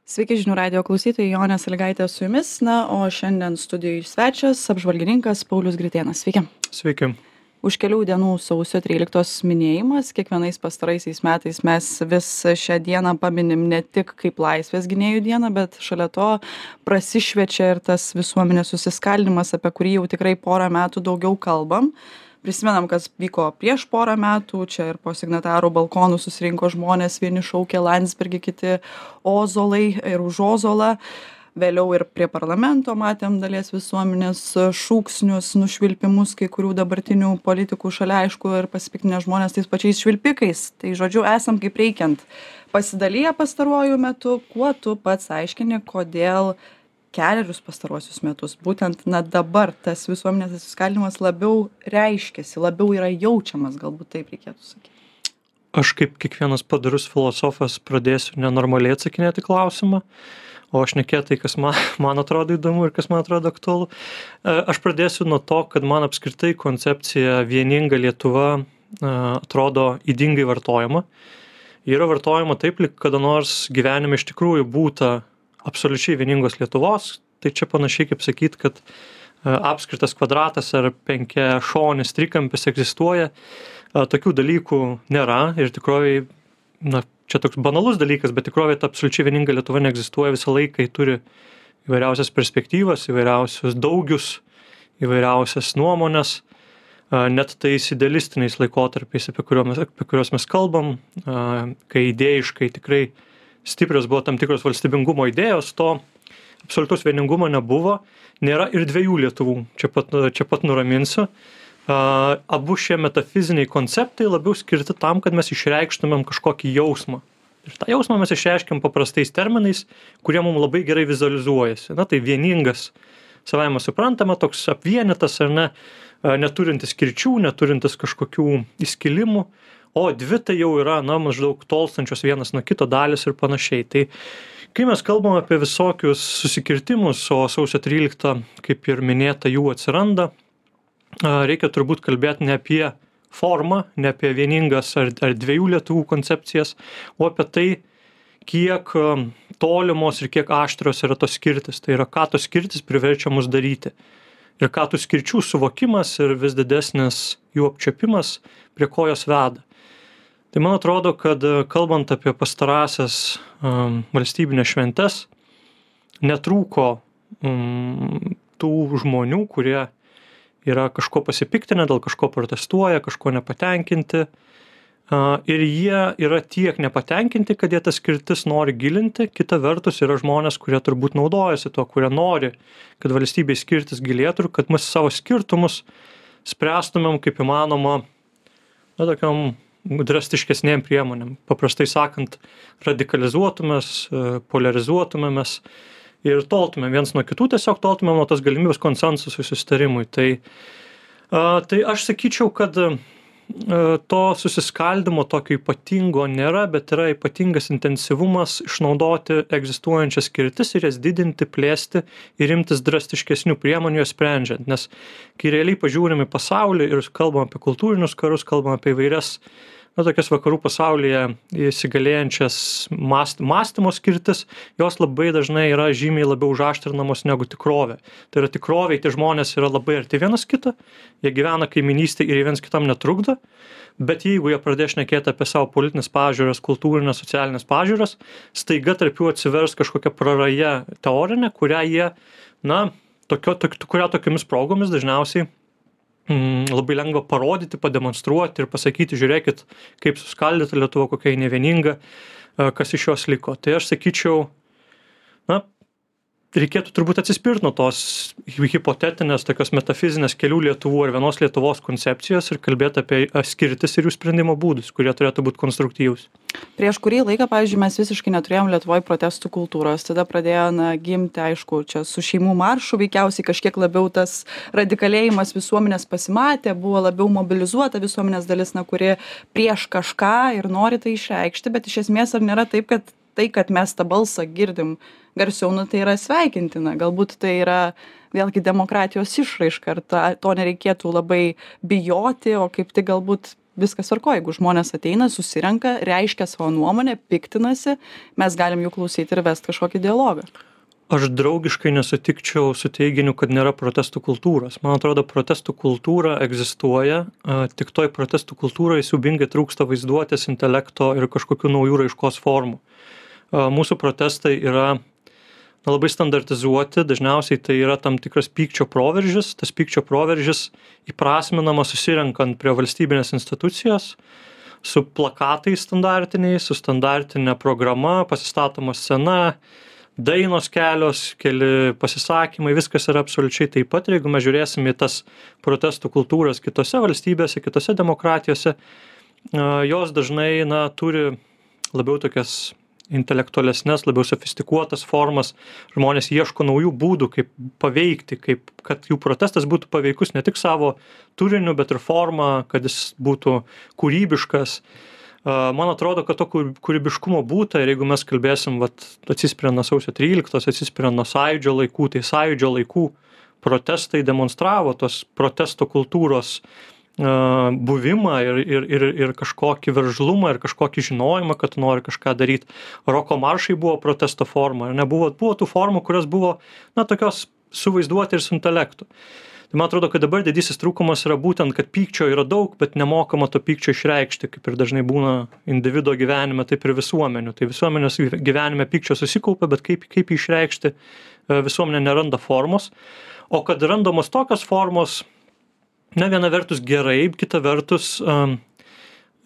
Sveiki žinių radijo klausytojai, Jonė Sąlygaitė su jumis. Na, o šiandien studijoje svečias apžvalgininkas Paulius Gritėnas. Sveiki. Sveiki. Už kelių dienų sausio 13 minėjimas. Kiekvienais pastaraisiais metais mes vis šią dieną paminim ne tik kaip Laisvės gynėjų dieną, bet šalia to prasišviečia ir tas visuomenės susiskaldymas, apie kurį jau tikrai porą metų daugiau kalbam. Prisimenam, kas vyko prieš porą metų, čia ir po signatarų balkonų susirinko žmonės, vieni šaukė Landsbergį, kiti Ozolai ir už Ozolą. Vėliau ir prie parlamento matėm dalies visuomenės šūksnius, nušvilpimus kai kurių dabartinių politikų šalia, aišku, ir pasipiktinę žmonės tais pačiais švilpikais. Tai žodžiu, esam kaip reikiant pasidalyję pastaruoju metu. Kuo tu pats aiškini, kodėl kelerius pastaruosius metus būtent dabar tas visuomenės susiskaldymas labiau reiškiasi, labiau yra jaučiamas, galbūt taip reikėtų sakyti? Aš kaip kiekvienas padarus filosofas pradėsiu nenormaliai atsakinėti klausimą, o aš šnekėti tai, kas man atrodo įdomu ir kas man atrodo aktualu. Aš pradėsiu nuo to, kad man apskritai koncepcija vieninga Lietuva atrodo ydingai vartojama. Yra vartojama taip, lyg kada nors gyvenime iš tikrųjų būta absoliučiai vieningos Lietuvos. Tai čia panašiai kaip sakyt, kad apskritas kvadratas ar penkiašonis trikampis egzistuoja. Tokių dalykų nėra ir tikrovėj, čia toks banalus dalykas, bet tikrovėj ta absoliučiai vieninga Lietuva neegzistuoja. Visą laiką ji turi įvairiausias perspektyvas, įvairiausius daugius, įvairiausias nuomonės, net tais idealistiniais laikotarpiais, apie kuriuos mes kalbam, kai idėjiškai tikrai stiprios buvo tam tikros valstybingumo idėjos, to absoliutaus vieningumo nebuvo. Nėra ir dviejų Lietuvų, čia pat nuraminsiu. Abu šie metafiziniai konceptai labiau skirti tam, kad mes išreikštumėm kažkokį jausmą. Ir tą jausmą mes išreiškiam paprastais terminais, kurie mums labai gerai vizualizuojasi. Tai vieningas, savaime suprantama, toks apvienytas ar ne, neturintis skirčių, neturintis kažkokių įskilimų, o dvi tai jau yra, maždaug tolstančios vienas nuo kito dalis ir panašiai. Tai kai mes kalbam apie visokius susikirtimus, o sausio 13, kaip ir minėta, jų atsiranda, reikia turbūt kalbėti ne apie formą, ne apie vieningas ar dviejų Lietuvų koncepcijas, o apie tai, kiek tolimos ir kiek aštrios yra tos skirtis. Tai yra, ką tos skirtis priverčia mus daryti. Ir ką tų skirčių suvokimas ir vis didesnis jų apčiuopimas prie ko jos veda. Tai man atrodo, kad kalbant apie pastarąsias valstybinės šventes, netrūko tų žmonių, kurie yra kažko pasipiktinę, dėl kažko protestuoja, kažko nepatenkinti. Ir jie yra tiek nepatenkinti, kad jie tas skirtis nori gilinti. Kita vertus yra žmonės, kurie turbūt naudojasi tuo, kurie nori, kad valstybei skirtis gilėtų ir kad mes savo skirtumus spręstumėm kaip įmanoma tokiam drastiškesnėm priemonėm. Paprastai sakant, radikalizuotumės, polarizuotumėmės ir toltumėm viens nuo kitų, tiesiog toltumėm nuo tos galimybės konsensusui, susitarimui. Tai aš sakyčiau, kad to susiskaldymo tokio ypatingo nėra, bet yra ypatingas intensyvumas išnaudoti egzistuojančias skirtis ir jas didinti, plėsti ir imtis drastiškesnių priemonių jas sprendžiant. Nes kai realiai pažiūrim į pasaulį ir kalbam apie kultūrinius karus, kalbam apie įvairias tokias vakarų pasaulyje įsigalėjančias mąstymo skirtis, jos labai dažnai yra žymiai labiau užaštrinamos negu tikrovė. Tai yra tikrovėj, tie žmonės yra labai arti vienas kito, jie gyvena kaiminystėj ir viens kitam netrukdo, bet jeigu jie pradės šnekėti apie savo politinės pažiūras, kultūrinės, socialinės pažiūras, staiga tarp jų atsivers kažkokia praraja teorinė, kurią jie, kurią tokiamis progomis dažniausiai labai lengva parodyti, pademonstruoti ir pasakyti, žiūrėkit, kaip suskaldyta Lietuva, kokia nevieninga, kas iš jos liko. Tai aš sakyčiau, reikėtų turbūt atsispirti nuo tos hipotetinės, tokios metafizinės kelių Lietuvų ar vienos Lietuvos koncepcijos ir kalbėti apie skirtis ir jų sprendimo būdus, kurie turėtų būti konstruktyvūs. Prieš kurį laiką, pavyzdžiui, mes visiškai neturėjom Lietuvoje protestų kultūros. Tada pradėjo gimti, aišku, čia su šeimų maršu veikiausiai kažkiek labiau tas radikalėjimas visuomenės pasimatė, buvo labiau mobilizuota visuomenės dalis, kuri prieš kažką ir nori tai išreikšti, bet iš esmės ar nėra taip, kad tai, kad mes tą balsą girdim garsiau, tai yra sveikintina. Galbūt tai yra vėlgi demokratijos išraiška, ar to nereikėtų labai bijoti, o kaip tik galbūt viskas tvarkoj, jeigu žmonės ateina, susirenka, reiškia savo nuomonę, piktinasi, mes galim jų klausyti ir vesti kažkokį dialogą. Aš draugiškai nesutikčiau su teiginiu, kad nėra protestų kultūros. Man atrodo, protestų kultūra egzistuoja, tik toj protestų kultūrai siaubingai trūksta vaizduotės, intelekto ir kažkokių naujų raiškos formų. Mūsų protestai yra labai standartizuoti, dažniausiai tai yra tam tikras pykčio proveržis. Tas pykčio proveržis įprasminamas susirenkant prie valstybinės institucijos, su plakatais standartiniais, su standartinė programa, pasistatoma scena, dainos kelios, keli pasisakymai, viskas yra absoliučiai taip pat. Ir jeigu mes žiūrėsim į tas protestų kultūras kitose valstybėse, kitose demokratijose, jos dažnai turi labiau tokias intelektualesnes, labiau sofistikuotas formas. Žmonės ieško naujų būdų, kaip paveikti, kad jų protestas būtų paveikus ne tik savo turiniu, bet ir forma, kad jis būtų kūrybiškas. Man atrodo, kad to kūrybiškumo būta ir jeigu mes kalbėsim, atsispiriant nuo sausio 13, atsispiriant nuo Sąjūdžio laikų, tai Sąjūdžio laikų protestai demonstravo tos protesto kultūros buvimą ir kažkokį veržlumą ir kažkokį žinojimą, kad tu nori kažką daryti. Roko maršai buvo protesto forma, buvo tų formų, kurios buvo tokios suvaizduoti ir su intelektu. Tai man atrodo, kad dabar didysis trūkumas yra būtent, kad pykčio yra daug, bet nemokama to pykčio išreikšti, kaip ir dažnai būna individo gyvenime, taip ir visuomenių. Tai visuomenės gyvenime pykčio susikaupia, bet kaip jį išreikšti, visuomenė neranda formos. O kad randamos tokios formos, viena vertus gerai, kita vertus,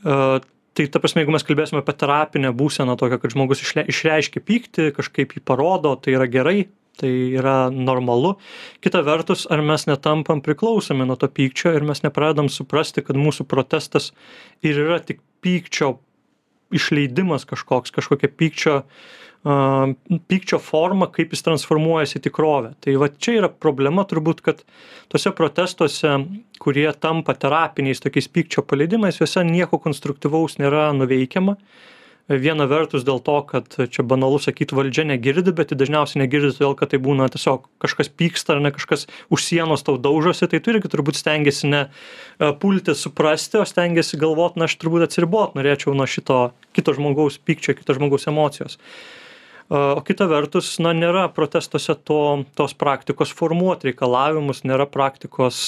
tai ta prasme, jeigu mes kalbėsime apie terapinę būseną tokią, kad žmogus išreiškia pyktį, kažkaip jį parodo, tai yra gerai, tai yra normalu. Kita vertus, ar mes netampam priklausomi nuo to pykčio ir mes nepradedam suprasti, kad mūsų protestas ir yra tik pykčio išleidimas kažkokia pykčio forma, kaip jis transformuojasi į tikrovę. Tai čia yra problema turbūt, kad tose protestuose, kurie tampa terapiniais tokiais pykčio paleidimais, juose nieko konstruktyvaus nėra nuveikiama. Viena vertus dėl to, kad čia banalu sakyti, valdžia negirdi, bet dažniausiai negirdi todėl, kad tai būna tiesiog kažkas pyksta ar kažkas už sienos tau daužosi, tai tu irgi turbūt stengiasi ne pulti suprasti, o stengiasi galvoti, aš turbūt atsiribot norėčiau nuo šito kito žmogaus pykčio, kito žmogaus emocijos. O kita vertus, nėra protestuose tos praktikos formuoti reikalavimus, nėra praktikos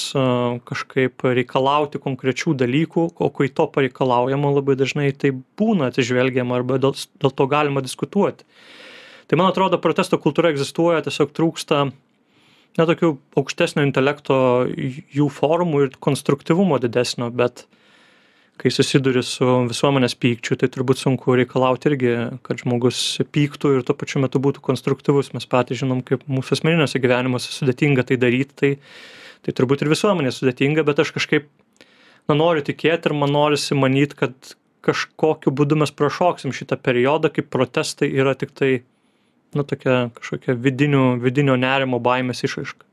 kažkaip reikalauti konkrečių dalykų, o kai to pareikalaujama labai dažnai tai būna atsižvelgiama arba dėl to galima diskutuoti. Tai man atrodo, protesto kultūra egzistuoja, tiesiog trūksta tokių aukštesnio intelekto jų formų ir konstruktyvumo didesnio, bet kai susiduri su visuomenės pykčiu, tai turbūt sunku reikalauti irgi, kad žmogus pyktų ir tuo pačiu metu būtų konstruktyvus. Mes patys žinom, kaip mūsų asmeniniuose gyvenimuose sudėtinga tai daryti, tai turbūt ir visuomenė sudėtinga, bet aš kažkaip noriu tikėti ir man norisi manyti, kad kažkokiu būdu mes prašoksim šitą periodą, kaip protestai yra tik tai tokia kažkokia vidinio nerimo baimės išraiška.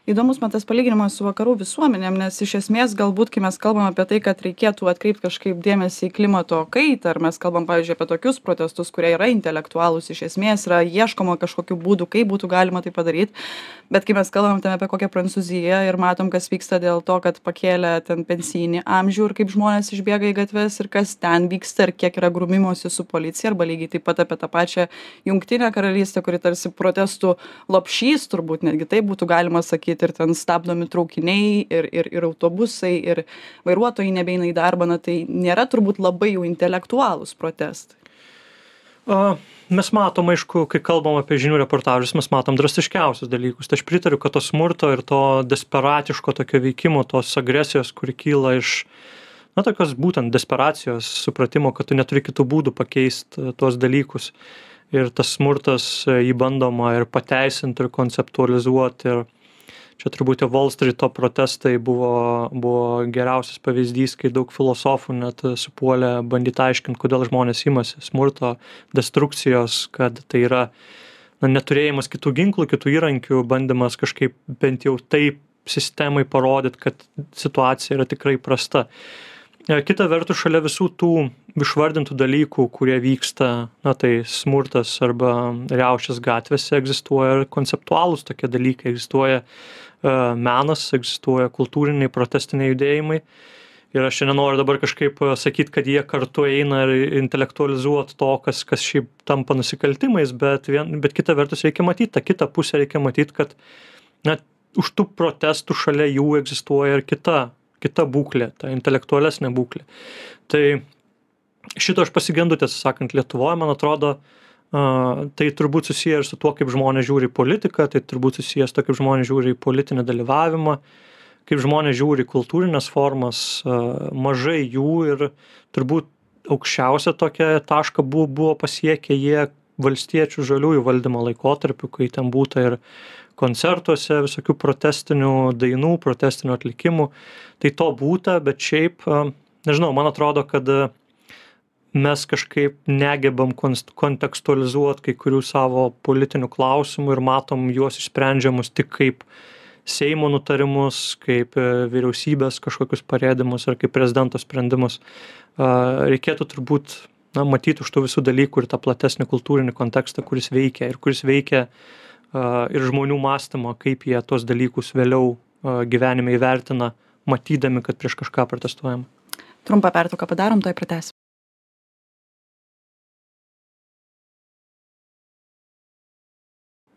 Įdomus man tas palyginimas su vakarų visuomenėm, nes iš esmės galbūt, kai mes kalbam apie tai, kad reikėtų atkreipti kažkaip dėmesį į klimato kaitą, ar mes kalbam, pavyzdžiui, apie tokius protestus, kurie yra intelektualūs, iš esmės yra ieškoma kažkokių būdų, kaip būtų galima tai padaryti, bet kai mes kalbam apie kokią Prancūziją ir matom, kas vyksta dėl to, kad pakėlė ten pensijinį amžių ir kaip žmonės išbėga į gatves ir kas ten vyksta ir kiek yra grūmimosi su policija, arba lygiai taip pat apie tą pačią Jungtinę karalystę, kuri tarsi protestų lopšys, turbūt netgi taip būtų galima sakyti. Ir ten stabdomi traukiniai ir autobusai ir vairuotojai nebeina į darbą, tai nėra turbūt labai jau intelektualūs protestai. Mes matom, aišku, kai kalbam apie žinių reportažus, mes matom drastiškiausius dalykus. Tai aš pritariu, kad to smurto ir to desperatiško tokio veikimo, tos agresijos, kuri kyla iš tokios būtent desperacijos, supratimo, kad tu neturi kitų būdų pakeisti tuos dalykus. Ir tas smurtas jį bandoma ir pateisinti ir konceptualizuoti. Ir čia turbūt Wall Streeto protestai buvo geriausias pavyzdys, kai daug filosofų net supuolė bandyti aiškinti, kodėl žmonės imasi smurto, destrukcijos, kad tai yra neturėjimas kitų ginklų, kitų įrankių, bandymas kažkaip bent jau taip sistemai parodyti, kad situacija yra tikrai prasta. Kita vertus, šalia visų tų išvardintų dalykų, kurie vyksta, tai smurtas arba riaušės gatvėse, egzistuoja ir konceptualūs tokie dalykai, egzistuoja menas, egzistuoja kultūriniai protestiniai judėjimai Ir aš čia nenoriu dabar kažkaip sakyt, kad jie kartu eina ir intelektualizuot to, kas šiaip tampa nusikaltimais, bet kita vertus reikia matyti, tą kitą pusę reikia matyti, kad na, už tų protestų šalia jų egzistuoja ir kita būklė, ta intelektualesnė būklė. Tai šito aš pasigendu, tiesą sakant, Lietuvoje, man atrodo, tai turbūt susiję ir su tuo, kaip žmonės žiūri į politiką, tai turbūt susiję su tuo, kaip žmonės žiūri į politinį dalyvavimą, kaip žmonės žiūri į kultūrinės formas, mažai jų ir turbūt aukščiausią tokią tašką buvo pasiekę jie valstiečių žaliųjų valdymo laikotarpiu, kai ten būta ir koncertuose visokių protestinių dainų, protestinių atlikimų. Tai to būta, bet šiaip, nežinau, man atrodo, kad mes kažkaip negebam kontekstualizuoti kai kurių savo politinių klausimų ir matom juos išsprendžiamus tik kaip Seimo nutarimus, kaip vyriausybės kažkokius parėdimus ar kaip prezidento sprendimus. Reikėtų turbūt matyti už tų visų dalykų ir tą platesnį kultūrinį kontekstą, kuris veikia ir žmonių mąstymą, kaip jie tos dalykus vėliau gyvenime įvertina, matydami, kad prieš kažką protestuojam. Trumpą pertrauką padarom, tuoj pratęsim.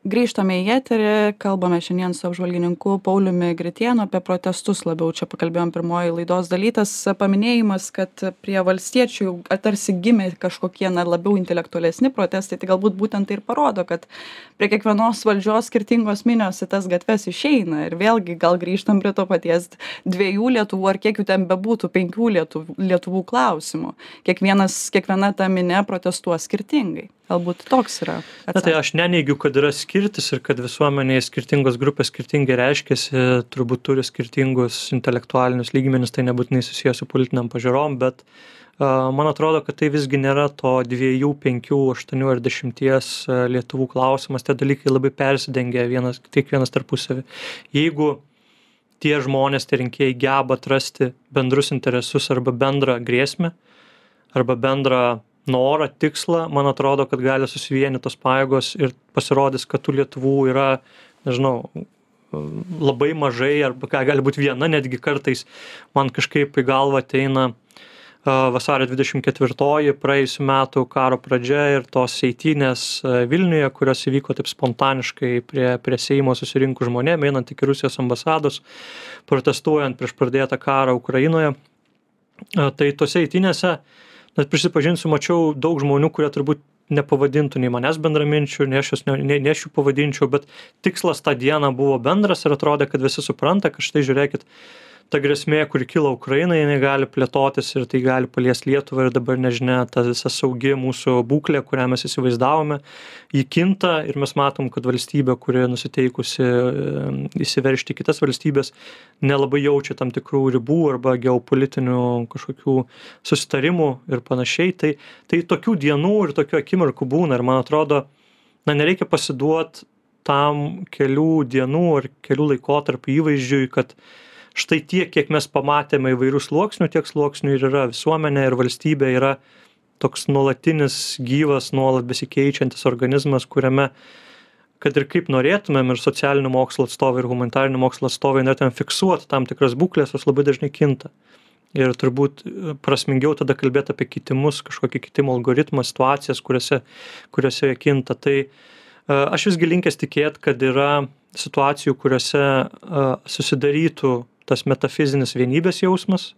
Grįžtame į eterį, kalbame šiandien su apžvalgininku Pauliumi Gritėnu apie protestus labiau. Čia pakalbėjom pirmoji laidos dalytas paminėjimas, kad prie valstiečių tarsi gimė kažkokie labiau intelektualesni protestai, tai galbūt būtent tai ir parodo, kad prie kiekvienos valdžios skirtingos minios į tas gatves išeina. Ir vėlgi gal grįžtam prie to paties 2 Lietuvų ar kiek jų ten bebūtų, 5 Lietuvų klausimų. Kiekviena ta minė protestuos skirtingai. Galbūt toks yra atsakymas. Na tai aš neneigiu, kad yra skirtis ir kad visuomenėje skirtingos grupės skirtingai reiškiasi, turbūt turi skirtingus intelektualinius lygmenis, tai nebūtinai susijęs su politiniam pažiūrom, bet man atrodo, kad tai visgi nėra to 2, 5, 8 ar 10 Lietuvų klausimas, tie dalykai labai persidengia kiekvienas tarpusavį. Jeigu tie žmonės, tie rinkėjai geba atrasti bendrus interesus arba bendrą grėsmę, arba bendrą norą, tikslą, man atrodo, kad gali susivienyti tos pajėgos ir pasirodys, kad tų Lietuvų yra, nežinau, labai mažai, arba gali būti viena, netgi kartais man kažkaip į galvą ateina vasario 24 praėjusių metų karo pradžia ir tos eitynės Vilniuje, kurios įvyko taip spontaniškai prie Seimo susirinkų žmonėm, einant iki Rusijos ambasados, protestuojant prieš pradėtą karą Ukrainoje. Tai tose eitynėse, net prisipažinsiu, mačiau daug žmonių, kurie turbūt nepavadintų nei manęs bendraminčių, nei aš jų pavadinčiau, bet tikslas tą dieną buvo bendras ir atrodė, kad visi supranta, kad štai žiūrėkit, ta grėsmė, kuri kilo Ukrainai, jinai gali plėtotis ir tai gali paliesti Lietuvą ir dabar nežinia, ta visa saugi mūsų būklė, kurią mes įsivaizdavome, ji kinta ir mes matom, kad valstybė, kuri nusiteikusi įsiveržti kitas valstybės, nelabai jaučia tam tikrų ribų arba geopolitinių kažkokių susitarimų ir panašiai. Tai tokių dienų ir tokių akimirkų būna ir man atrodo, nereikia pasiduoti tam kelių dienų ar kelių laikotarpių įvaizdžiui, kad štai tiek, kiek mes pamatėme įvairių sluoksnių, tiek sluoksnių ir yra visuomenė ir valstybė yra toks nuolatinis, gyvas, nuolat besikeičiantis organizmas, kuriame, kad ir kaip norėtumėm ir socialinių mokslo atstovai ir humanitarinių mokslo atstovai norėtumėm fiksuoti tam tikras būklės, jos labai dažnai kinta. Ir turbūt prasmingiau tada kalbėti apie kitimus, kažkokį kitimo algoritmą, situacijas, kuriuose jie kinta. Tai aš visgi linkęs tikėti, kad yra situacijų, kuriuose susidarytų tas metafizinis vienybės jausmas,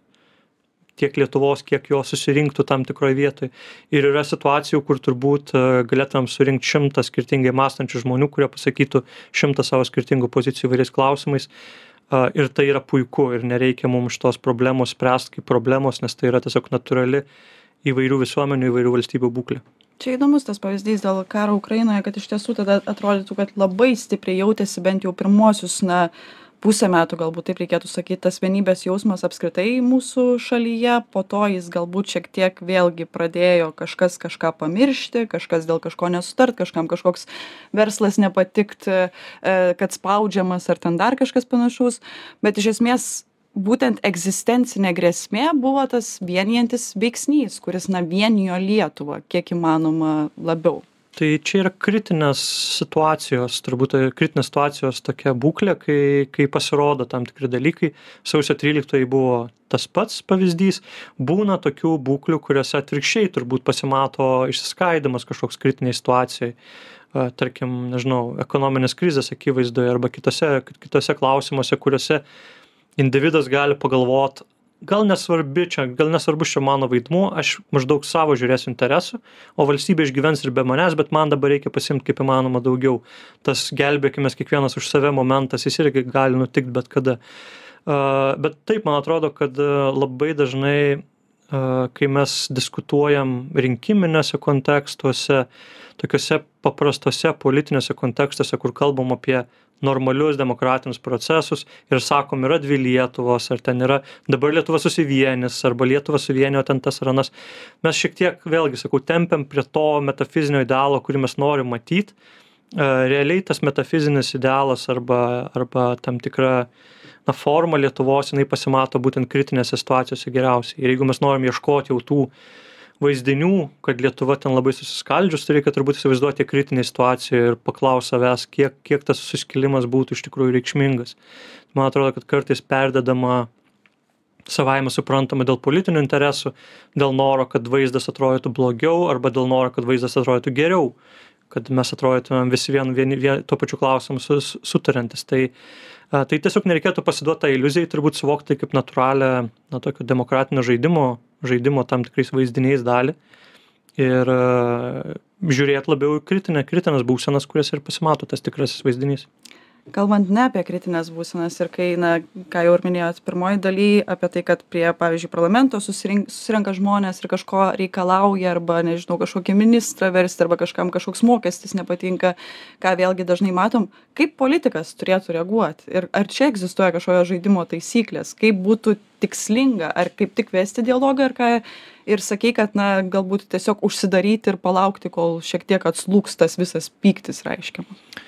tiek Lietuvos, kiek jo susirinktų tam tikroje vietoje. Ir yra situacijų, kur turbūt galėtumėm surinkti 100 skirtingai mąstančių žmonių, kurie pasakytų 100 savo skirtingų pozicijų įvairiais klausimais. Ir tai yra puiku ir nereikia mums šitos problemos spręsti kaip problemos, nes tai yra tiesiog natūrali įvairių visuomenių, įvairių valstybių būklė. Čia įdomus tas pavyzdys dėl karo Ukrainoje, kad iš tiesų tada atrodytų, kad labai stipriai jautėsi bent jau pirmosius, pusę metų, galbūt taip reikėtų sakyti, tas vienybės jausmas apskritai mūsų šalyje, po to jis galbūt šiek tiek vėlgi pradėjo kažkas kažką pamiršti, kažkas dėl kažko nesutart, kažkam kažkoks verslas nepatikt, kad spaudžiamas ar ten dar kažkas panašaus, bet iš esmės būtent egzistencinė grėsmė buvo tas vienijantis veiksnys, kuris vienijo Lietuvą kiek įmanoma labiau. Tai čia yra kritinės situacijos, turbūt kritinės situacijos tokia būklė, kai pasirodo tam tikri dalykai. Sausio 13 buvo tas pats pavyzdys. Būna tokių būklių, kuriuose atvirkščiai turbūt pasimato išsiskaidimas kažkoks kritiniai situacijai. Tarkim, nežinau, ekonominės krizės akivaizdoje arba kitose klausimuose, kuriuose individas gali pagalvot, gal nesvarbus čia mano vaidmuo, aš maždaug savo žiūrėsiu interesų, o valstybė išgyvens ir be manęs, bet man dabar reikia pasiimti kaip įmanoma daugiau. Tas gelbėkimės kiekvienas už save momentas, jis irgi gali nutikti bet kada. Bet taip, man atrodo, kad labai dažnai, kai mes diskutuojam rinkiminėse kontekstuose, tokiuose paprastuose politiniuose kontekstuose, kur kalbam apie normalius demokratinius procesus ir sakom, yra dvi Lietuvos, ar ten yra dabar Lietuva susivienis, arba Lietuva suvienio ten tas ar anas. Mes šiek tiek, vėlgi sakau, tempiam prie to metafizinio idealo, kurį mes norim matyti. Realiai tas metafizinis idealas arba tam tikra forma Lietuvos, jinai pasimato būtent kritinėse situacijose geriausiai. Ir jeigu mes norim ieškoti jau tų vaizdinių, kad Lietuva ten labai susiskaldžius, tai reikia turbūt įsivaizduoti kritinę situaciją ir paklaus savęs, kiek tas suskilimas būtų iš tikrųjų reikšmingas. Man atrodo, kad kartais perdedama savaime suprantama dėl politinių interesų, dėl noro, kad vaizdas atrodytų blogiau, arba dėl noro, kad vaizdas atrodytų geriau, kad mes atrodytumėm visi tuo pačiu klausimu sutariantis. Tai tiesiog nereikėtų pasiduoti tą iliuziją, turbūt suvokti kaip natūralią, tokio demokratinio žaidimo tam tikrais vaizdiniais dalį ir žiūrėti labiau į kritinės būsenas, kurias ir pasimato tas tikrasis vaizdinys. Kalbant ne apie kritinės būsenas ir kai, ką jau ir minėjot pirmoji daly, apie tai, kad prie, pavyzdžiui, parlamento susirenka žmonės ir kažko reikalauja arba, nežinau, kažkokį ministrą versti arba kažkam kažkoks mokestis nepatinka, ką vėlgi dažnai matom, kaip politikas turėtų reaguoti ir ar čia egzistuoja kažkokio žaidimo taisyklės, kaip būtų tikslinga, ar kaip tik vesti dialogą, ar ką ir sakei, kad, galbūt tiesiog užsidaryti ir palaukti, kol šiek tiek atslūgs tas visas pyktis reiškiamas.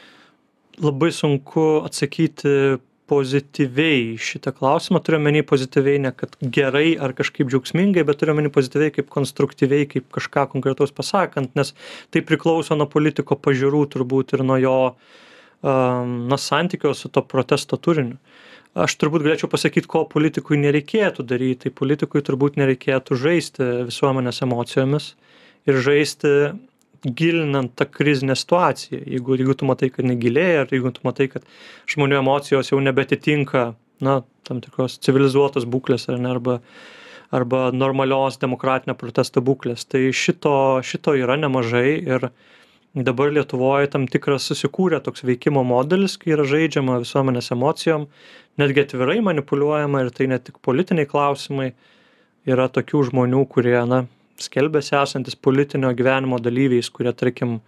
Labai sunku atsakyti pozityviai šitą klausimą. Turiu omeny pozityviai ne kad gerai ar kažkaip džiaugsmingai, bet turiu omeny pozityviai kaip konstruktyviai, kaip kažką konkretaus pasakant, nes tai priklauso nuo politiko pažiūrų turbūt ir nuo jo santykio su to protesto turiniu. Aš turbūt galėčiau pasakyti, ko politikui nereikėtų daryti. Tai politikui turbūt nereikėtų žaisti visuomenės emocijomis ir žaisti gilinant tą krizinę situaciją. Jeigu tu matai, kad negilėja, ar jeigu tu matai, kad žmonių emocijos jau nebetitinka, tam tikros civilizuotos būklės, arba normalios demokratinio protesto būklės. Tai šito yra nemažai ir dabar Lietuvoje tam tikras susikūrė toks veikimo modelis, kai yra žaidžiama visuomenės emocijom, netgi atvirai manipuliuojama ir tai ne tik politiniai klausimai. Yra tokių žmonių, kurie, skelbėsi esantis politinio gyvenimo dalyviais, kurie, tarkim,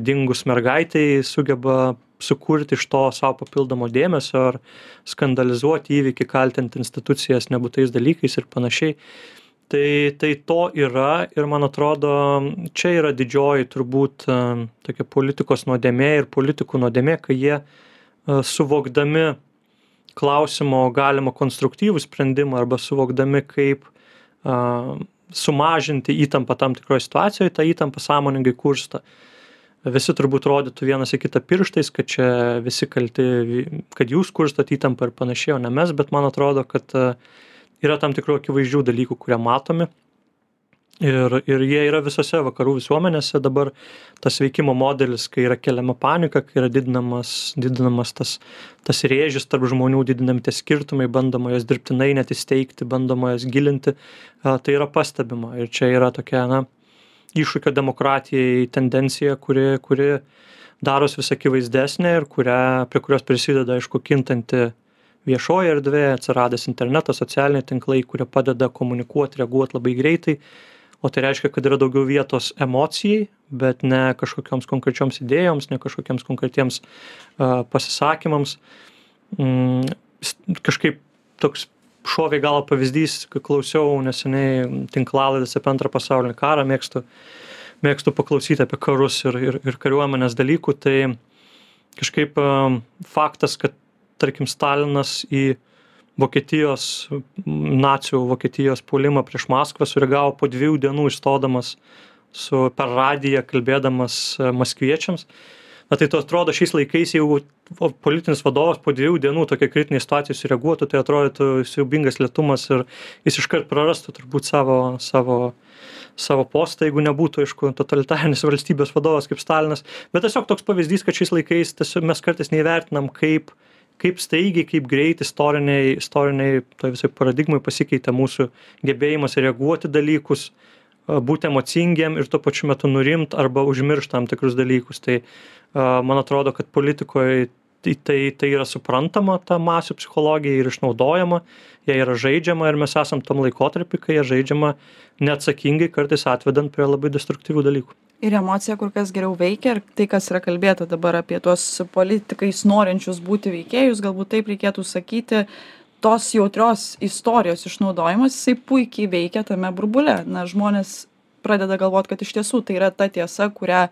dingus mergaitai sugeba sukurti iš to savo papildomo dėmesio ar skandalizuoti įvykį, kaltinti institucijas nebūtais dalykais ir panašiai. Tai to yra ir man atrodo, čia yra didžioji turbūt tokia politikos nuodėmė ir politikų nuodėmė, kai jie suvokdami klausimo galima konstruktyvų sprendimą arba suvokdami kaip sumažinti įtampą tam tikroje situacijoje, tą įtampą sąmoningai kursto. Visi turbūt rodytų vienas į kitą pirštais, kad čia visi kalti, kad jūs kurstot įtampą ir panašiai, o ne mes, bet man atrodo, kad yra tam tikrų akivaizdžių dalykų, kurie matomi. Ir jie yra visose vakarų visuomenėse dabar tas veikimo modelis, kai yra keliama panika, kai yra didinamas tas rėžis tarp žmonių, didinami tie skirtumai, bandoma jas dirbtinai net įsteigti, bandoma jas gilinti, tai yra pastebima. Ir čia yra tokia, iššūkio demokratijai tendencija, kuri daros vis akivaizdesnė ir prie kurios prisideda, aišku, kintanti viešoji erdvė, atsiradęs internetas, socialiniai tinklai, kurie padeda komunikuoti, reaguoti labai greitai. O tai reiškia, kad yra daugiau vietos emocijai, bet ne kažkokioms konkrečioms idėjoms, ne kažkokiems konkretiems pasisakymams. Kažkaip toks šovė gal pavyzdys, kai klausiau neseniai tinklalaidės apie Antrą pasaulinį karą, mėgstu paklausyti apie karus ir kariuomenės dalykų, tai kažkaip faktas, kad tarkim Stalinas į nacių Vokietijos puolimą prieš Maskvą sureagavo po 2 dienų išstodamas per radiją kalbėdamas maskviečiams. Na tai to atrodo šiais laikais, jeigu politinis vadovas po 2 dienų tokia kritinė situacija sureaguotų, tai atrodytų siaubingas lėtumas ir jis iškart prarastų turbūt savo postą, jeigu nebūtų, aišku, totalitarinis valstybės vadovas kaip Stalinas. Bet tiesiog toks pavyzdys, kad šiais laikais tiesiog mes kartais neįvertinam, kaip staigiai, kaip greit istoriniai toj visai paradigmai pasikeitė mūsų gebėjimas reaguoti dalykus, būti emocingiem ir tuo pačiu metu nurimt arba užmiršt tam tikrus dalykus. Tai man atrodo, kad politikoje tai yra suprantama, ta masių psichologija ir išnaudojama, jie yra žaidžiama ir mes esam tam laikotarpį, kai jie žaidžiama neatsakingai, kartais atvedant prie labai destruktyvių dalykų. Ir emocija kur kas geriau veikia ir tai, kas yra kalbėta dabar apie tuos politikais norinčius būti veikėjus, galbūt taip reikėtų sakyti, tos jautrios istorijos išnaudojimas, jisai puikiai veikia tame burbule. Na, žmonės pradeda galvot, kad iš tiesų tai yra ta tiesa, kurią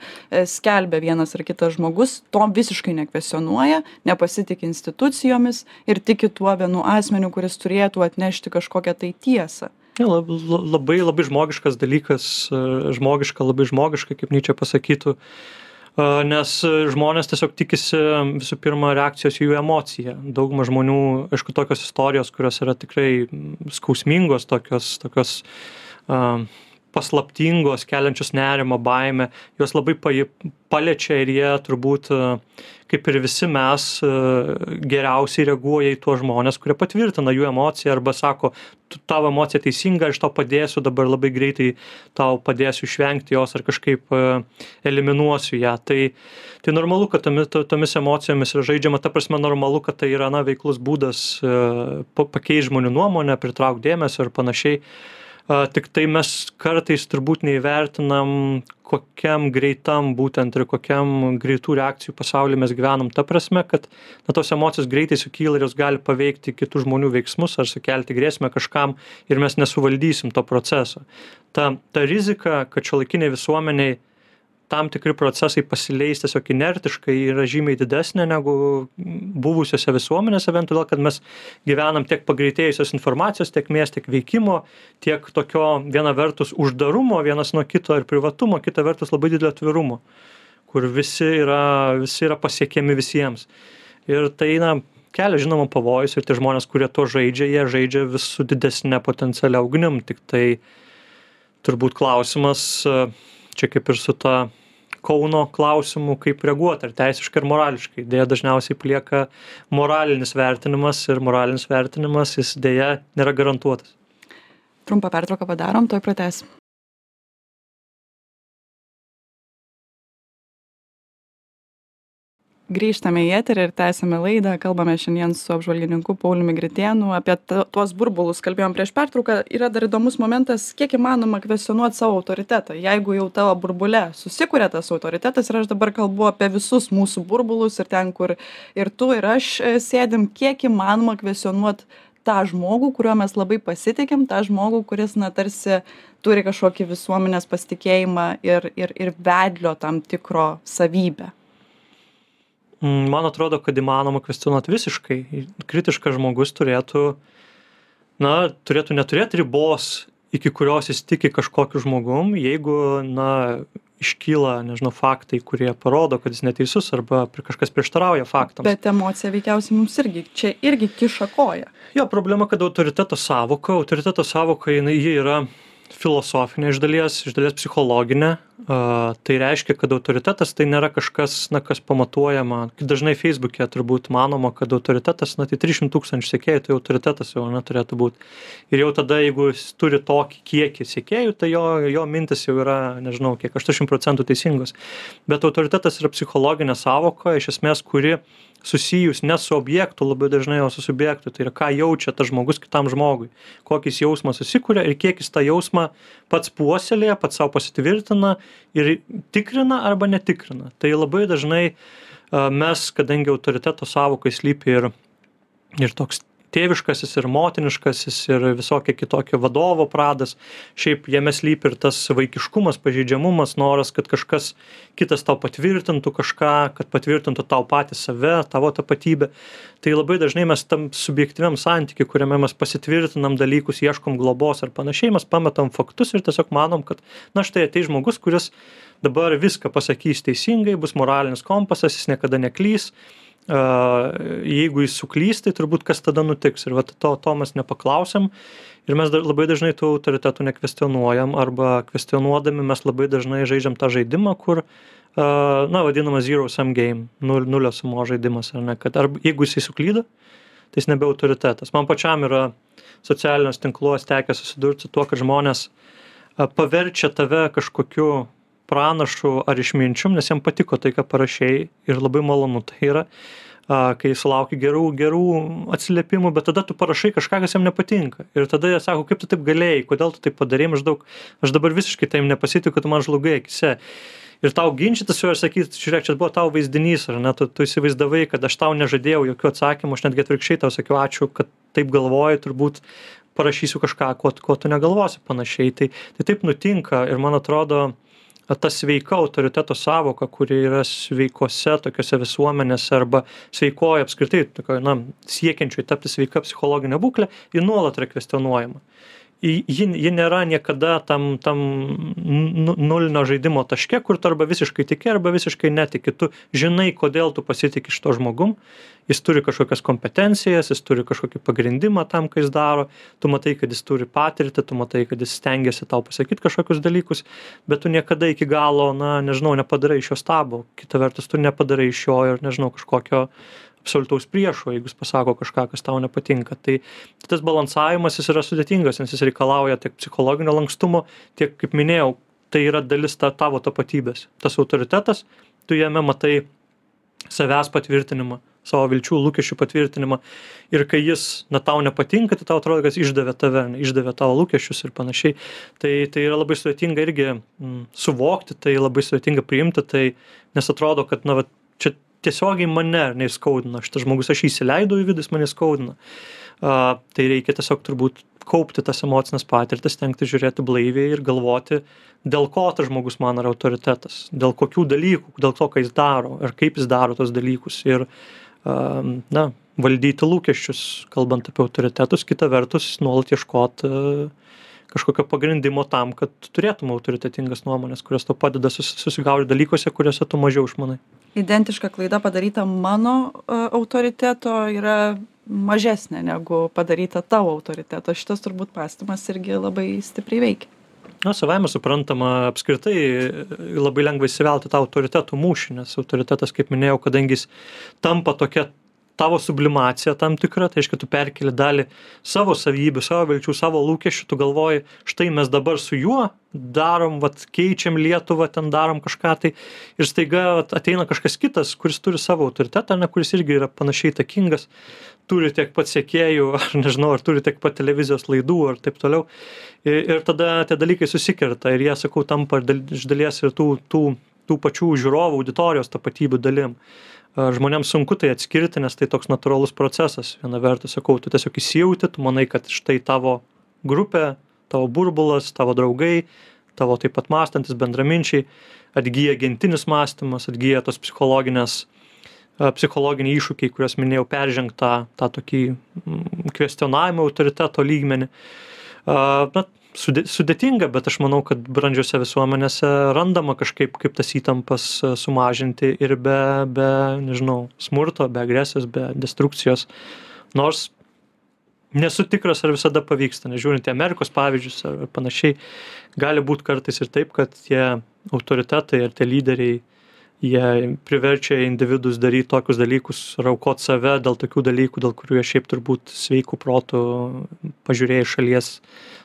skelbia vienas ar kitas žmogus, to visiškai nekvesionuoja, nepasitik institucijomis ir tiki tuo vienu asmeniu, kuris turėtų atnešti kažkokią tai tiesą. Ja, labai žmogiškas dalykas, labai žmogiška, kaip Nyčė pasakytų, nes žmonės tiesiog tikisi visų pirma reakcijos į jų emociją. Dauguma žmonių, aišku, tokios istorijos, kurios yra tikrai skausmingos, tokios paslaptingos, keliančios nerimą, baimę, jos labai paliečia ir jie turbūt, kaip ir visi mes, geriausiai reaguoja į tuos žmonės, kurie patvirtina jų emociją arba sako, tavo emocija teisinga, aš tau padėsiu, dabar labai greitai tau padėsiu išvengti jos ar kažkaip eliminuosiu ją. Tai normalu, kad tomis emocijomis yra žaidžiama, ta prasme normalu, kad tai yra veiklus būdas pakeisti žmonių nuomonę, pritraukti dėmesio ir panašiai. Tik tai mes kartais turbūt neįvertinam, kokiam greitam būtent ir kokiam greitų reakcijų pasaulyje mes gyvenam. Ta prasme, kad tos emocijos greitai sukyla ir jos gali paveikti kitų žmonių veiksmus ar sukelti grėsmę kažkam ir mes nesuvaldysim to proceso. Ta rizika, kad šiuolaikiniai visuomeniai tam tikri procesai pasileis tiesiog inertiškai yra žymiai didesnė negu buvusiose visuomenėse, vien todėl, kad mes gyvenam tiek pagreitėjusios informacijos tėkmės, tiek veikimo, tiek tokio viena vertus uždarumo vienas nuo kito ir privatumo, kita vertus labai didelio atvirumo, kur visi yra pasiekiami visiems. Ir tai, kelia žinoma pavojus ir tie žmonės, kurie to žaidžia, jie žaidžia vis su didesnė potencialia ugnim. Tik tai turbūt klausimas, čia kaip ir su ta Kauno klausimų, kaip reaguoti, ar teisiškai ir morališkai. Deja, dažniausiai plieka moralinis vertinimas ir moralinis vertinimas jis deja nėra garantuotas. Trumpą pertrauką padarom, tuoj pratęsim. Grįžtame į eterį ir tęsiame laidą. Kalbame šiandien su apžvalgininku Pauliumi Gritėnu apie tuos burbulus. Kalbėjom prieš pertrauką. Yra dar įdomus momentas, kiek įmanoma kvestionuoti savo autoritetą. Jeigu jau tavo burbule susikuria tas autoritetas ir aš dabar kalbu apie visus mūsų burbulus ir ten, kur ir tu ir aš sėdim, kiek įmanoma kvestionuoti tą žmogų, kuriuo mes labai pasitikim, tą žmogų, kuris tarsi turi kažkokį visuomenės pasitikėjimą ir vedlio tam tikro savybę. Man atrodo, kad įmanoma kvestionuoti visiškai. Kritiškas žmogus turėtų neturėti ribos, iki kurios jis tiki kažkokiu žmogum, jeigu, iškyla, faktai, kurie parodo, kad jis neteisus arba kažkas prieštarauja faktams. Bet emocija veikiausiai mums irgi kiša koją. Jo, problema, kad autoriteto sąvoka, ji yra filosofinė iš dalies psichologinė. Tai reiškia, kad autoritetas tai nėra kažkas, kas pamatuojama. Dažnai Facebook'e turbūt manoma, kad autoritetas, tai 300 000 sekėjų, tai autoritetas jau turėtų būti. Ir jau tada, jeigu jis turi tokį kiekį sekėjų, tai jo mintis jau yra, 80% teisingos. Bet autoritetas yra psichologinė sąvoka, iš esmės, kuri susijus ne su objektu labai dažnai, o su subjektu. Tai yra, ką jaučia tas žmogus kitam žmogui, kokis jausmas susikuria ir kiek jis tą jausmą pats puoselėja, pats savo pasitvirtina ir tikrina arba netikrina. Tai labai dažnai mes, kadangi autoriteto sąvokai slypi ir toks tėviškasis, ir motiniškasis, ir visokie kitokie vadovo pradas. Šiaip jame slypi ir tas vaikiškumas, pažeidžiamumas, noras, kad kažkas kitas tau patvirtintų kažką, kad patvirtintų tau patį save, tavo tapatybę. Tai labai dažnai mes tam subjektyviam santykiui, kuriame mes pasitvirtinam dalykus, ieškom globos ar panašiai, mes pametam faktus ir tiesiog manom, kad na štai ateis žmogus, kuris dabar viską pasakys teisingai, bus moralinis kompasas, jis niekada neklys. Jeigu jis suklys, tai turbūt kas tada nutiks. Ir to mes nepaklausiam. Ir mes labai dažnai tų autoritetų nekvestionuojam, arba kvestionuodami mes labai dažnai žaidžiam tą žaidimą, kur, vadinamas zero sum game, nulio sumo žaidimas, ar ne, kad jeigu jisai suklydo, tai jis nebe autoritetas. Man pačiam yra socialiniuose tinkluose tekę susidurti su tuo, kad žmonės paverčia tave kažkokiu pranašu ar išminčium, nes jam patiko tai, ką parašei, ir labai malonu tai yra, kai sulauki gerų atsiliepimų, bet tada tu parašai kažką, kas jam nepatinka. Ir tada jie sako, kaip tu taip galėjai, kodėl tu taip padarei, maždaug, aš dabar visiškai taim nepasitikiu, kad tu man žlugai akise. Ir tau ginčytis su juo ir sakyti, žiūrėk, čia buvo tau vaizdinys, ar ne, tu įsivaizdavai, kad aš tau nežadėjau jokių atsakymų, aš netgi atvirkščiai tau sakiau, ačiū, kad taip galvoji, turbūt parašysiu kažką, ko tu negalvosi panašiai. Tai taip nutinka ir man atrodo, ta sveika autoriteto sąvoka, kuri yra sveikose tokiose visuomenėse arba sveikoje apskritai, siekiančiai tapti sveika psichologinė būklė, ji nuolat yra kvestionuojama. Ji nėra niekada tam nulinio žaidimo taške, kur tu arba visiškai tiki, arba visiškai netiki. Tu žinai, kodėl tu pasitiki šito žmogum, jis turi kažkokias kompetencijas, jis turi kažkokį pagrindimą tam, ką jis daro, tu matai, kad jis turi patirtį, tu matai, kad jis stengiasi tau pasakyti kažkokius dalykus, bet tu niekada iki galo, nepadarai iš jo stabo. Kita vertus, tu nepadarai iš jo ir, kažkokio absoliutaus priešo, jeigu jis pasako kažką, kas tau nepatinka. Tai tas balansavimas jis yra sudėtingas, nes jis reikalauja tiek psichologinio lankstumo, tiek, kaip minėjau, tai yra dalis tavo tapatybės. Tas autoritetas, tu jame matai savęs patvirtinimą, savo vilčių, lūkesčių patvirtinimą. Ir kai jis tau nepatinka, tai tau atrodo, kad jis išdavė tave, išdavė tavo lūkesčius ir panašiai. Tai yra labai sudėtinga irgi suvokti, tai labai sudėtinga priimti, tai nes atrodo, kad čia tiesiogiai mane neįskaudina. Šitas žmogus, aš įsileidau į vidų, jis mane skaudina. Tai reikia tiesiog turbūt kaupti tas emocinės patirtis, stengti žiūrėti blaiviai ir galvoti, dėl ko tas žmogus man yra autoritetas, dėl kokių dalykų, dėl to, ką jis daro ir kaip jis daro tos dalykus. Ir valdyti lūkesčius, kalbant apie autoritetus, kita vertus nuolat ieškoti kažkokio pagrindimo tam, kad turėtum autoritetingas nuomonės, kurios tau padeda susigaudyti dalykuose, kuriuose tu mažiau išmanai. Identiška klaida padaryta mano autoriteto yra mažesnė negu padaryta tavo autoriteto. Šitas turbūt pastymas irgi labai stipriai veikia. Savaime suprantama, apskritai labai lengva įsivelti tą autoritetų mūšį, nes autoritetas, kaip minėjau, kadangi jis tampa tokia tavo sublimacija tam tikra, tai reiškia, tu perkeli dalį savo savybių, savo vilčių, savo lūkesčių, tu galvoji, štai mes dabar su juo darom, keičiam Lietuvą, ten darom kažką tai, ir staiga ateina kažkas kitas, kuris turi savo autoritetą, kuris irgi yra panašiai įtakingas, turi tiek pat sekėjų, ar turi tiek pat televizijos laidų, ar taip toliau. Ir tada tie dalykai susikerta ir jie, sakau, tampa iš dalies ir tų pačių žiūrovų auditorijos tapatybių dalim. Žmonėms sunku tai atskirti, nes tai toks natūralus procesas. Viena vertus, sakau, tu tiesiog įsijauti, tu manai, kad štai tavo grupė, tavo burbulas, tavo draugai, tavo taip pat mąstantis bendraminčiai, atgyja gentinis mąstymas, atgyja tos psichologiniai iššūkiai, kuriuos minėjau, peržengt tą tokį kvestionavimo autoriteto lygmenį. Sudėtinga, bet aš manau, kad brandžiose visuomenėse randama kažkaip, kaip tas įtampas sumažinti ir be smurto, be agresijos, be destrukcijos. Nors nesu tikras, ar visada pavyksta, nežiūrint į Amerikos pavyzdžius ar panašiai, gali būti kartais ir taip, kad tie autoritetai ar tie lyderiai, jie priverčia individus daryti tokius dalykus, aukot save dėl tokių dalykų, dėl kurių jie šiaip turbūt sveikų protų pažiūrėję iš šalies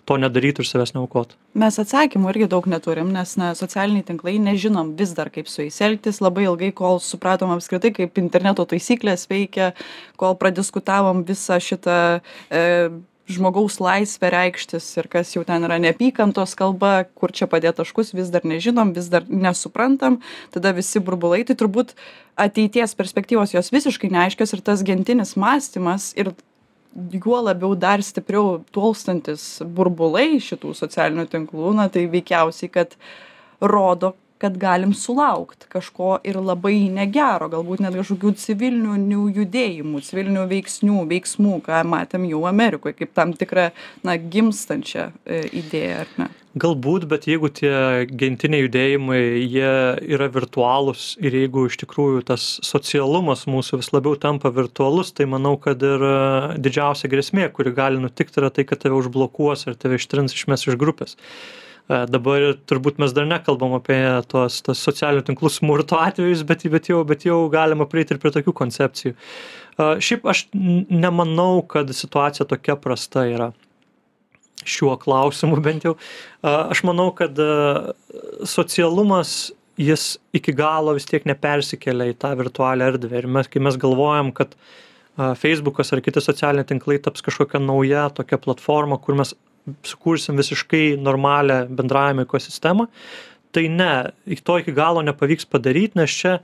to nedarytų ir savęs neaukot. Mes atsakymų irgi daug neturim, nes socialiniai tinklai nežinom vis dar, kaip su jais elgtis, labai ilgai, kol supratom apskritai, kaip interneto taisyklės veikia, kol pradiskutavom visą šitą žmogaus laisvę reikštis ir kas jau ten yra neapykantos kalba, kur čia padėt taškus, vis dar nežinom, vis dar nesuprantam, tada visi burbulai, tai turbūt ateities perspektyvos jos visiškai neaiškios ir tas gentinis mąstymas ir juo labiau dar stipriau tolstantis burbulai šitų socialinių tinklų, na tai veikiausiai, kad rodo, kad galim sulaukt kažko ir labai negero, galbūt net kažkokių civilinių judėjimų, civilinių veiksmų, ką matėm jau Amerikoje, kaip tam tikrą, na, gimstančią idėją, ar ne? Galbūt, bet jeigu tie gentiniai judėjimai, jie yra virtualūs ir jeigu iš tikrųjų tas socialumas mūsų vis labiau tampa virtualus, tai manau, kad ir didžiausia grėsmė, kuri gali nutikti, yra tai, kad tave užblokuos ir tave ištrins išmes iš grupės. Dabar turbūt mes dar nekalbam apie tos socialinių tinklų smurto atvejus, bet jau galima prieiti ir prie tokių koncepcijų. Šiaip aš nemanau, kad situacija tokia prasta yra šiuo klausimu bent jau. Aš manau, kad socialumas jis iki galo vis tiek nepersikelia į tą virtualią erdvę. Ir kai mes galvojam, kad Facebookas ar kiti socialiniai tinklai taps kažkokia nauja tokia platforma, kur mes sukursim visiškai normalią bendravimo ekosistemą, tai ne, to iki galo nepavyks padaryti, nes čia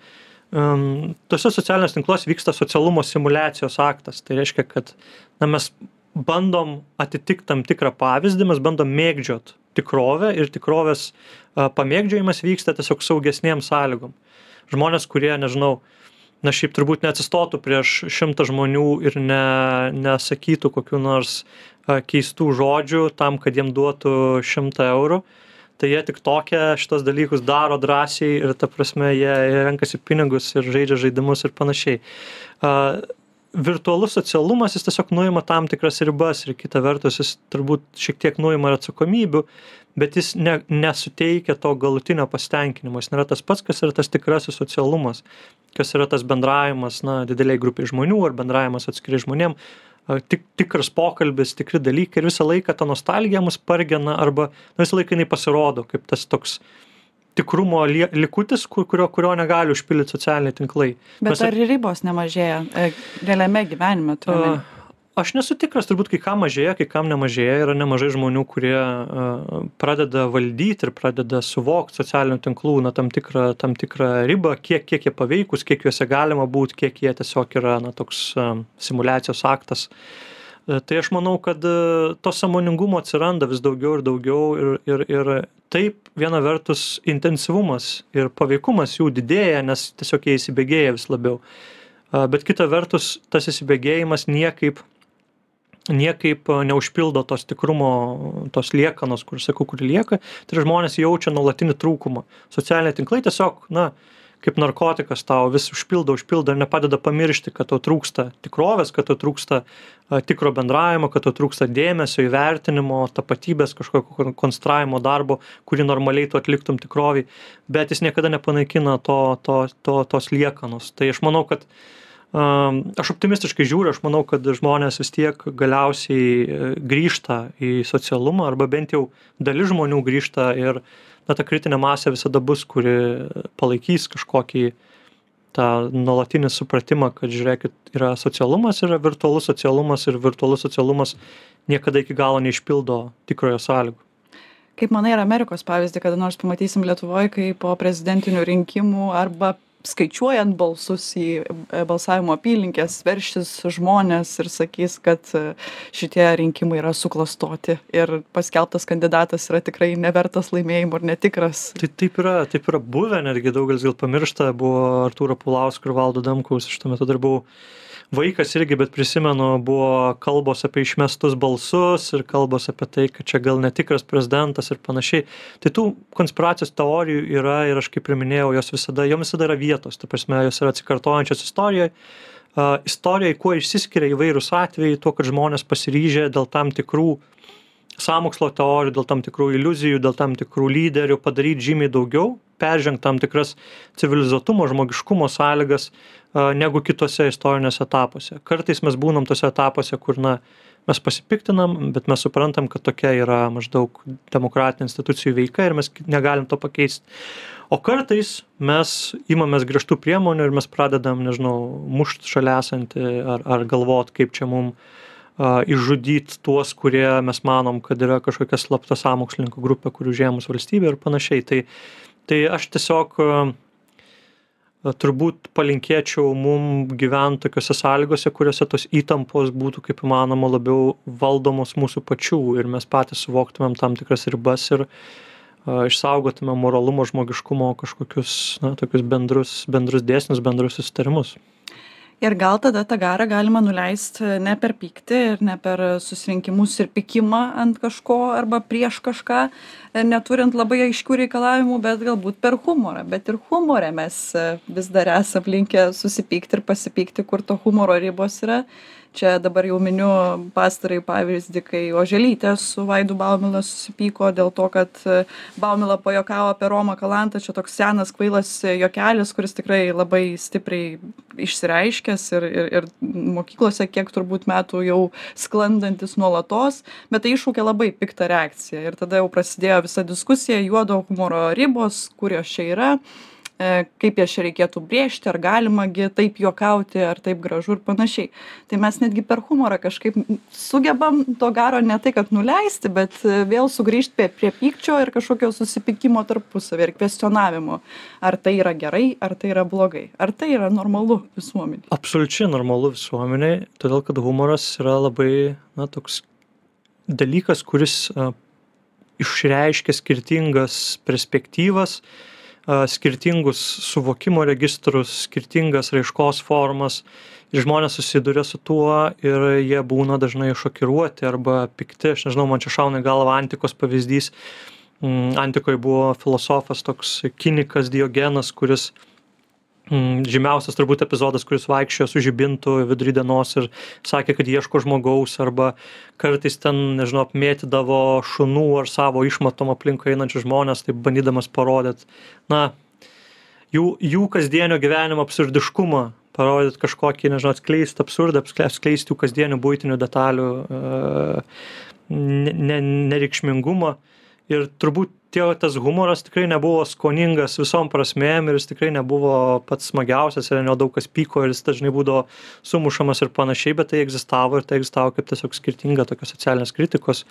tose socialiniuose tinkluose vyksta socialumo simuliacijos aktas. Tai reiškia, kad mes bandom atitikti tam tikrą pavyzdį, mes bandom mėgdžiot tikrovę ir tikrovės pamėgdžiojimas vyksta tiesiog saugesnėm sąlygom. Žmonės, kurie, nežinau, šiaip turbūt neatsistotų prieš 100 žmonių ir nesakytų kokių nors keistų žodžių tam, kad jiem duotų 100 eurų, tai jie tik tokia šitos dalykus daro drąsiai ir ta prasme jie renkasi pinigus ir žaidžia žaidimus ir panašiai. Virtualus socialumas jis tiesiog nuima tam tikras ribas ir kita vertus jis turbūt šiek tiek nuima ir atsakomybių, bet jis nesuteikia to galutinio pasitenkinimo. Jis nėra tas pats, kas yra tas tikrasis socialumas, kas yra tas bendravimas, dideliai grupiai žmonių ar bendravimas atskiri žmonėm, tikras pokalbis, tikri dalykai ir visą laiką ta nostalgija mus pargena arba visą laiką jinai pasirodo kaip tas toks tikrumo likutis, kurio negali užpildyti socialiniai tinklai. Bet ar ribos nemažėja realiame gyvenime? Aš nesu tikras, turbūt kai kam mažėja, kai kam nemažėja. Yra nemažai žmonių, kurie pradeda valdyti ir pradeda suvokti socialinių tinklų tam tikrą ribą, kiek jie paveikus, kiek juose galima būti, kiek jie tiesiog yra toks simuliacijos aktas. Tai aš manau, kad to sąmoningumo atsiranda vis daugiau ir daugiau ir taip viena vertus intensyvumas ir paveikumas jų didėja, nes tiesiog jie įsibėgėja vis labiau. Bet kita vertus tas įsibėgėjimas niekaip neužpildo tos tikrumo, tos liekanos, kur lieka, tai žmonės jaučia nuolatinį trūkumą. Socialiniai tinklai tiesiog, kaip narkotikas tau vis užpildo ir nepadeda pamiršti, kad tau trūksta tikrovės, kad tau trūksta tikro bendravimo, kad tau trūksta dėmesio, įvertinimo, tapatybės, kažkokio konstravimo darbo, kurį normaliai tu atliktum tikroviai, bet jis niekada nepanaikina tos liekanos. Tai aš manau, kad aš optimistiškai žiūriu, aš manau, kad žmonės vis tiek galiausiai grįžta į socialumą, arba bent jau dalis žmonių grįžta ir ta kritinė masė visada bus, kuri palaikys kažkokį tą nuolatinį supratimą, kad žiūrėkit, yra socialumas, yra virtualus socialumas ir virtualus socialumas niekada iki galo neišpildo tikrojo sąlygų. Kaip manai, ar Amerikos pavyzdį kada nors pamatysim Lietuvoje, kai po prezidentinių rinkimų arba skaičiuojant balsus į balsavimo apylinkės veršis žmonės ir sakys, kad šitie rinkimai yra suklastoti ir paskelbtas kandidatas yra tikrai nevertas laimėjimo ir netikras? Tai taip yra buvę, netgi daugelis gal pamiršta, buvo Artūro Pulausko ir Valdo Adamkaus, aš tuo metu dar buvau vaikas irgi, bet prisimenu, buvo kalbos apie išmestus balsus ir kalbos apie tai, kad čia gal netikras prezidentas ir panašiai. Tai tų konspiracijos teorijų yra ir aš kaip ir minėjau, jom visada yra vietos, ta prasme, jos yra atsikartojančios istorijoje. Istorijoje, kuo išsiskiria įvairūs atvejai, tuo, kad žmonės pasiryžę dėl tam tikrų sąmokslo teorijų, dėl tam tikrų iliuzijų, dėl tam tikrų lyderių padaryti žymiai daugiau, peržengti tam tikras civilizuotumo, žmogiškumo sąlygas negu kitose istorinėse etapuose. Kartais mes būnam tose etapuose, kur mes pasipiktinam, bet mes suprantam, kad tokia yra maždaug demokratinių institucijų veika ir mes negalim to pakeisti. O kartais mes imamės griežtų priemonių ir mes pradedam, mušt šalia esantį ar galvot, kaip čia mum išžudyti tuos, kurie mes manom, kad yra kažkokia slapta sąmokslininkų grupė, kurių užėmus valstybė ir panašiai. Tai aš tiesiog turbūt palinkėčiau mum gyvent tokiose sąlygose, kuriuose tos įtampos būtų kaip įmanoma labiau valdomos mūsų pačių ir mes patys suvoktumėm tam tikras ribas ir išsaugotumėm moralumo, žmogiškumo kažkokius, tokius bendrus dėsnius, bendrus susitarimus. Ir gal tada tą garą galima nuleisti ne per pyktį ir ne per susirinkimus ir pykimą ant kažko arba prieš kažką, neturint labai aiškių reikalavimų, bet galbūt per humorą. Bet ir humore mes vis dar esam linkę susipykti ir pasipykti, kur to humoro ribos yra. Čia dabar jau miniu pastarąjį pavyzdį, kai Oželytė su Vaidu Baumila susipyko dėl to, kad Baumila pajuokavo apie Romą Kalantą. Čia toks senas kvailas juokelis, kuris tikrai labai stipriai išsireiškęs ir mokyklose kiek turbūt metų jau sklandantis nuolatos, bet tai iššaukė labai piktą reakciją. Ir tada jau prasidėjo visa diskusija, juodo humoro ribos, kur jos čia yra, kaip jas čia reikėtų brėžti, ar galimagi taip juokauti, ar taip gražu ir panašiai. Tai mes netgi per humorą kažkaip sugebam to garo ne tai, kad nuleisti, bet vėl sugrįžti prie pykčio ir kažkokio susipykimo tarpusavį ir kvestionavimo. Ar tai yra gerai, ar tai yra blogai, ar tai yra normalu visuomeniai? Absoliučiai normalu visuomeniai, todėl kad humoras yra labai toks dalykas, kuris išreiškia skirtingas perspektyvas, skirtingus suvokimo registrus, skirtingas raiškos formas ir žmonės susiduria su tuo ir jie būna dažnai šokiruoti arba pikti. Aš nežinau, man čia šauna į galvą antikos pavyzdys. Antikoje buvo filosofas toks kinikas Diogenas, kuris žymiausias turbūt epizodas, kuris vaikščiojo su žibintu vidury dienos ir sakė, kad ieško žmogaus arba kartais ten, nežinau, apmėtydavo šunų ar savo išmatom aplinkui einančius žmonės, taip bandydamas parodyti, jų kasdienio gyvenimo absurdiškumą, parodyti kažkokį, nežinau, atskleisti absurdą, atskleisti jų kasdienių buitinių detalių nereikšmingumą. Ir turbūt tas humoras tikrai nebuvo skoningas visom prasmėm ir jis tikrai nebuvo pats smagiausias ir nedaug kas pyko ir jis dažnai būdavo sumušamas ir panašiai, bet tai egzistavo kaip tiesiog skirtinga tokios socialinės kritikos,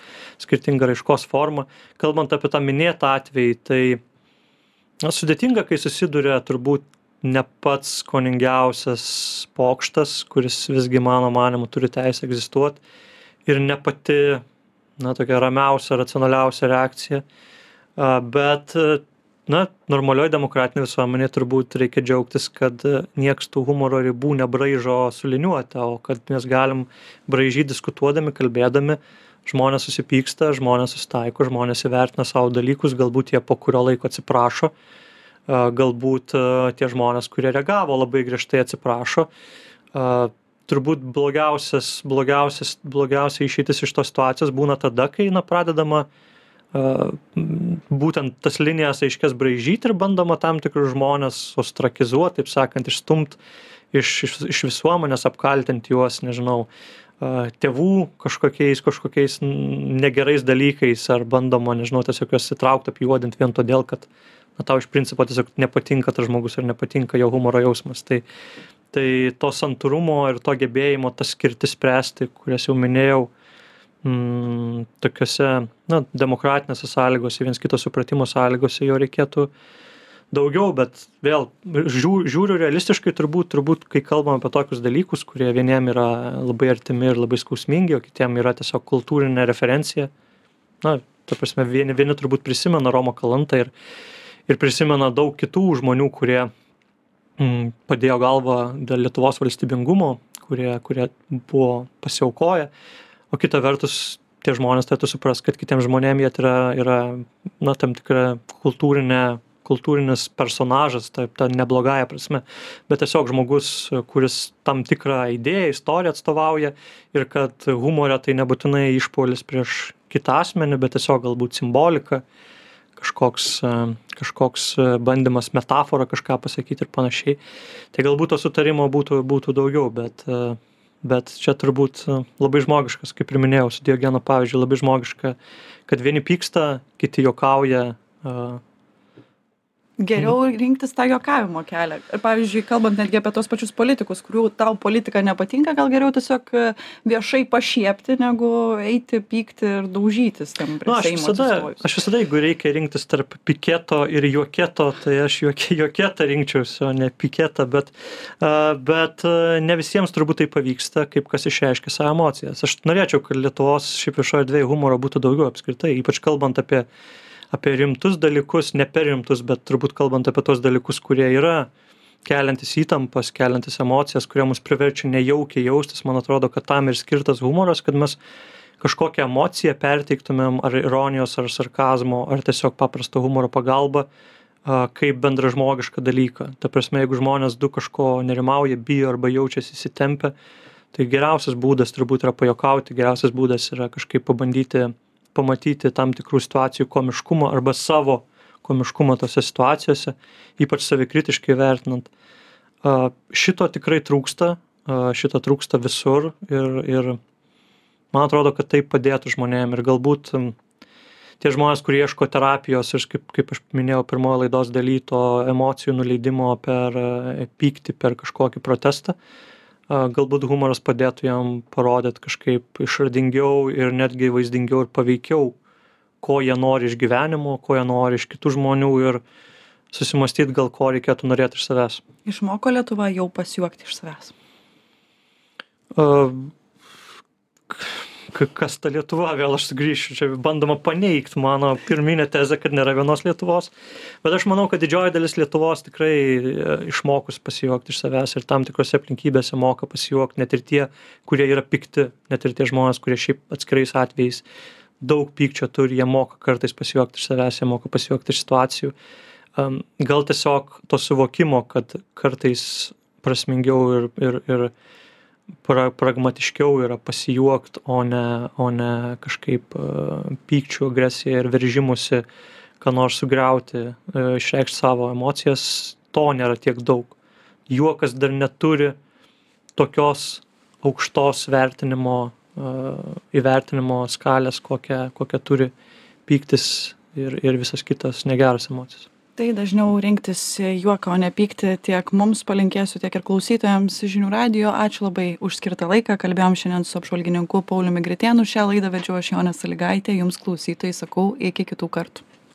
skirtinga raiškos forma. Kalbant apie tą minėtą atvejį, tai sudėtinga, kai susiduria turbūt ne pats skoningiausias pokštas, kuris visgi mano manimu turi teisę egzistuoti ir ne pati tokia ramiausia, racionaliausia reakcija. Bet, normalioje demokratinėje visuomenėje turbūt reikia džiaugtis, kad nieks tų humoro ribų nebraižo suliniuoti, o kad mes galim braižyti diskutuodami, kalbėdami, žmonės susipyksta, žmonės susitaiko, žmonės įvertina savo dalykus, galbūt jie po kurio laiko atsiprašo, galbūt tie žmonės, kurie reagavo labai griežtai atsiprašo. Turbūt blogiausia išeitis iš tos situacijos būna tada, kai pradedama būtent tas linijas aiškias braižyti ir bandoma tam tikrus žmonės ostrakizuoti, taip sakant, išstumt iš visuomenės, apkaltinti juos, nežinau, tėvų kažkokiais negerais dalykais ar bandoma, nežinau, tiesiog juos įtraukti, apjuodinti vien todėl, kad tau iš principo tiesiog nepatinka tas žmogus ar nepatinka jo humoro jausmas. Tai to santūrumo ir to gebėjimo tas skirtis spręsti, kurias jau minėjau, tokiose demokratinėse sąlygose, viens kito supratimo sąlygose jo reikėtų daugiau, bet vėl žiūriu realistiškai turbūt, kai kalbam apie tokius dalykus, kurie vieniem yra labai artimi ir labai skausmingi, o kitiem yra tiesiog kultūrinė referencija. Ta prasme, vieni turbūt prisimena Romą Kalantą ir prisimena daug kitų žmonių, kurie padėjo galvą dėl Lietuvos valstybingumo, kurie buvo pasiaukoję, o kita vertus tie žmonės turėtų suprasti, kad kitiems žmonėms jie yra tam tikra kultūrinis personažas, ta neblogąja prasme, bet tiesiog žmogus, kuris tam tikrą idėją, istoriją atstovauja ir kad humorė tai nebūtinai išpuolis prieš kitą asmenį, bet tiesiog galbūt simbolika, kažkoks bandymas metaforą kažką pasakyti ir panašiai. Tai galbūt to sutarimo būtų daugiau, bet čia turbūt labai žmogiškas, kaip ir minėjau, su Diogeno pavyzdžiui, labai žmogiška, kad vieni pyksta, kiti juokauja. Geriau rinktis tą juokavimo kelią. Ir pavyzdžiui, kalbant netgi apie tos pačius politikus, kurių tau politika nepatinka, gal geriau tiesiog viešai pašiepti, negu eiti, pykti ir daužytis tam prie Seimo atsistojus. Aš visada, jeigu reikia rinktis tarp piketo ir juoketo, tai aš juoketą rinkčiausi, o ne piketą, bet ne visiems turbūt tai pavyksta, kaip kas išreiškia savo emocijas. Aš norėčiau, kad Lietuvos šiaip viešoje erdvėje humoro būtų daugiau apskritai, ypač kalbant apie rimtus dalykus, ne per rimtus, bet turbūt kalbant apie tos dalykus, kurie yra keliantis įtampas, keliantis emocijas, kurie mus priverčia nejaukiai jaustis. Man atrodo, kad tam ir skirtas humoras, kad mes kažkokią emociją perteiktumėm, ar ironijos, ar sarkazmo, ar tiesiog paprasto humoro pagalba, kaip bendražmogišką dalyką. Ta prasme, jeigu žmonės kažko nerimauja, bijo arba jaučiasi įsitempę, tai geriausias būdas turbūt yra pajuokauti, geriausias būdas yra kažkaip pamatyti tam tikrų situacijų komiškumą arba savo komiškumą tose situacijose, ypač savikritiškai vertinant. Šito tikrai trūksta, šito trūksta visur ir man atrodo, kad tai padėtų žmonėm ir galbūt tie žmonės, kurie ieško terapijos ir kaip aš minėjau pirmoje laidos daly, to emocijų nuleidimo per pyktį, per kažkokį protestą, galbūt humoras padėtų jam parodyti kažkaip išradingiau ir netgi vaizdingiau ir paveikiau, ko jie nori iš gyvenimo, ko jie nori iš kitų žmonių ir susimąstyti gal ko reikėtų norėti iš savęs. Išmoko Lietuva jau pasijuokti iš savęs? Kas ta Lietuva, vėl aš sugrįšiu, čia bandoma paneigti mano pirminę tezę, kad nėra vienos Lietuvos, bet aš manau, kad didžioji dalis Lietuvos tikrai išmokus pasijuokti iš savęs ir tam tikrose aplinkybėse moka pasijuokti, net ir tie, kurie yra pikti, net ir tie žmonės, kurie šiaip atskirais atvejais daug pykčio turi, jie moka kartais pasijuokti iš savęs, jie moka pasijuokti iš situacijų. Gal tiesiog to suvokimo, kad kartais prasmingiau ir pragmatiškiau yra pasijuokt, o ne kažkaip pykčių, agresiją ir veržimusi, ką nors sugriauti, išreikšti savo emocijas, to nėra tiek daug. Juokas dar neturi tokios aukštos įvertinimo skalės, kokią turi pyktis ir visas kitas negeras emocijas. Tai dažniau rinktis juoką, o ne pykti, tiek mums palinkėsiu, tiek ir klausytojams Žinių radijo. Ačiū labai už skirtą laiką. Kalbėjom šiandien su apžvalgininku Pauliumi Gritėnu. Šią laidą vedžiau aš Jonė Sąlygaitė. Jums klausytojai sakau iki kitų kartų.